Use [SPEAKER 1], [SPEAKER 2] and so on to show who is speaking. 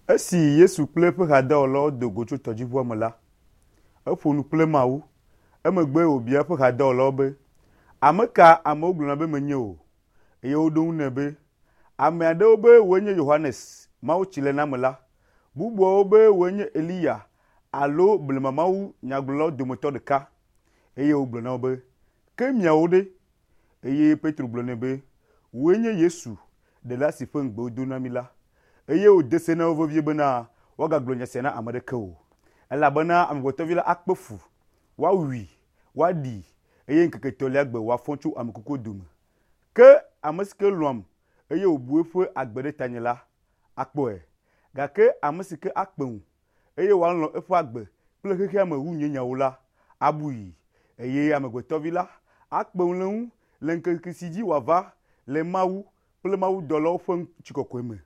[SPEAKER 1] Esi Yesu kple eƒe hadɔwɔlawo do go tso tɔdziʋua me la, eƒo nu kple Mawu. Emegbe wòbia eƒe hadɔwɔlawo be, Ame ka amewo gblɔna be menye o? Eye woɖo eŋu nɛ be, Ame aɖewo be wòe nye Yohanes Mawutsilenamela, bubuawo be wòe nye Eliya alo blema mawunyagblɔlawo dometɔ ɖeka. Eye wògblɔ na wo be, Ke miawo ɖe? Eye Petro gblɔ nɛ be, Wòe nye Yesu, Ɖela si ƒe ŋugbe wodo na mí la. Eye wòde se na wo vevie bena woagagblɔ nya sia na ame aɖeke o. Elabena Amegbetɔvi la akpe fu, woawui, woaɖii, eye ŋkeke etɔ̃lia gbe wòafɔ tso ame kukuwo dome. Ke ame si ke lɔ̃am eye wòbu eƒe agbe ɖe tanye la, akpɔe. Gake ame si ke akpe ŋu eye wòalɔ̃ eƒe agbe kple xexea me wu nye nyawo la, abui. Eye Amegbetɔvi la akpe ŋu le eŋu le ŋkeke si dzi wòava le Mawu kple mawudɔlawo ƒe ŋutikɔkɔe me.